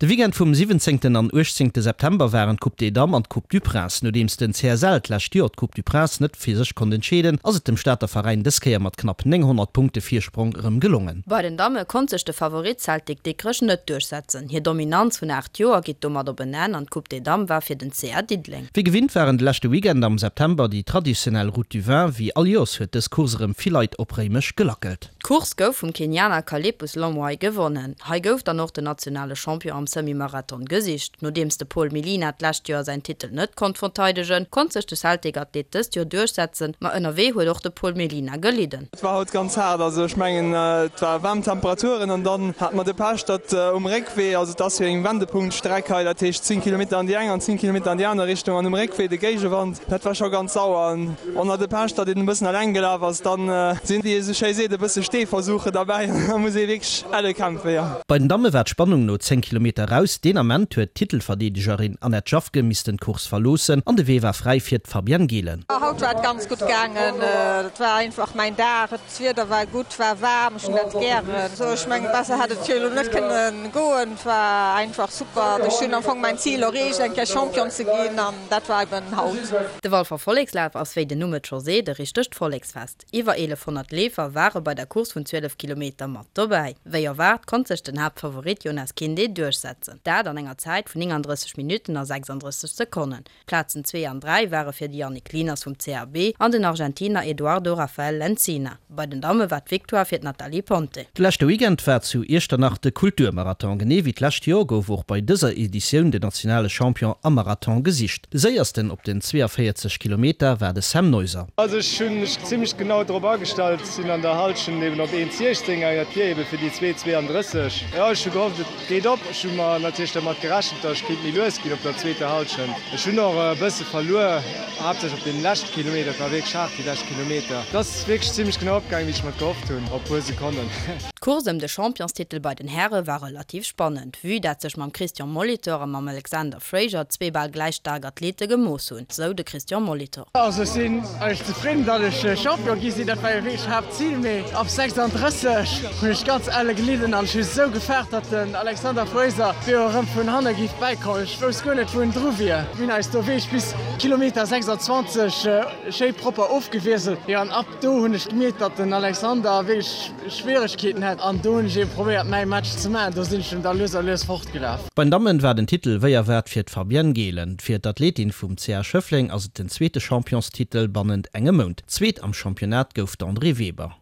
De Weekend vum 17 an 18 September waren d'Coupe des Dames an d'Coupe du Prince. Nodeems den CSL d'lescht Joer d'Coupe du Prince net fir sech konnt entscheeden, ass et dem Stater Veräin dës Kéier mat knapp 900 Punkte Virsprong erëm gelongen. Bei den Damme konnt sech de Favorit Celtic Dikrech net duerchsetzen. Hir Dominanz vun 8 Joer geet domat op en Enn an d'Coupe des Dames war fir den CA Diddeleng. Wéi gewinnt waren de leschte Weekend am September déi traditionell Route du Vin. Wéi all Joers huet dës Course erëm vill Leit op Réimech gelackelt. D'Course gouf vum Kenianer Kalepus Lomwai gewonnen. Hei gouf dann och den nationale Champion am Semi-Marathon gesicht. Nodeems de Paul Milina d'lescht Joer säin Titel net konnt verteidegen, konnt sech de Celtic-Athlet dëst Joer duerchsetzen, ma ënnerwee huet och de Paul Melina gelidden. Et war haut ganz haart, also ech mengen et war waarm Temperaturen an dann hate mer de Pech, datt um Réckwee, also et ass jo eng Wendepunktstreck hei, dat heescht 10 Kilometer an déi eng an 10 Kilometer an déi aner Richtung an um Réckwee de Géigewand, dat war scho ganz sauer an on hat de Pech, datt een e bëssen eleng gelaf ass, dann sinn, wéi ee sou schéi seet, e bësse Steeversuche derbäi an da muss ee wierklech elle kämpfen, jo. Bei den Damme war d'Spannung no 10 Kilometer raus. Deen Ament huet d'Titelverdeedegerin Annette Jaffke missten d'Course verloossen an de Wee war fräi fir d'Fabienne Gehlen. Haut war et ganz gutt gaangen. Et war einfach mäin Dag. D'Wieder war gutt, war waarm, ech hunn dat gären. Sou, ech mengen, besser hätt et jo elo net kënne goen. Et war einfach super. Ech hunn am Fong mäin Zil erreecht, eng Kéier Champion ze ginn an dat war eben haut. De Walfer Vollekslaf ass, wéi den Numm et scho seet, e richtegt Volleksfest. Iwwer 1.100 Leefer ware bei der Course vun 12 Kilometer mat dobäi. Wéi erwaart konnt sech den Haaptfavorit Jonas Kinde duerchsetzen, dat an enger Zäit vun 39 Minutten a 36 Sekonnen. D'Plazen zwee an dräi ware fir de Yannick Lieners vum CAB an den Argentiner Eduardo Rafael Lencina. Bei den Damme war d'Victoire fir d'Nathalie Ponte. De leschte Weekend war zu Iechternach de Kulturmarathon. Genee wéi d'lescht Joer gouf och bei dëser Editioun den nationale Champion am Marathon gesicht. De séiersten op den 42 Kilometer war de Sam Neuser. Also ech hunn mech zimmlech genau drop agestallt, sinn an der Hallschent eben op 1,16 gaangen, dat wier eben fir déi 2,32. Jo, ech hu gehofft et geet op. Ech hu mer natierlech dermat gerechent, datt ech kéint méi lues ginn op der zweeter Hallschent. Ech hunn och e bësse verluer, haaptsächlech op deem leschte Kilometer. Et war wierklech haart déi lescht Kilometer. Et ass wierklech zimmlech genau opgaangen, wéi ech mer et gehofft hunn, op e puer Sekonnen. D'Course ëm de Championstitel bei den Häre war relativ spannend, vue dat sech mam Christian Molitor a mam Alexander Fraser zwee bal gläich staark Athlete gemooss hunn, sou de Christian Molitor. Also ech sinn eigentlech zefridden, datt ech Champion gi sinn, dat war jo wierklech Haaptzil, mee ab 36 hunn ech ganz elle gelidden an ech hu sou gefaart, datt den Alexander Fraser jo erëm vun hanne géif bäikommen. Ech wousst guer net wou en dru wier. Mir hunn eis do wierklech bis Kilometer 26 schéi propper ofgewiesselt, jo an ab do hunn ech gemierkt, datt den Alexander wierklech Schwieregkeeten hat an do hunn ech eben probéiert mäi Match ze maachen, do sinn ech em da lues a lues fortgelaf. Bei den Dammen war den Titel wéi erwaart fir d'Fabienne Gehlen. Fir d'Athletin vum CA Schëffleng ass et den zweete Championstitel bannent engem Mount. Zweet am Championnat gouf d'Andrée Weber.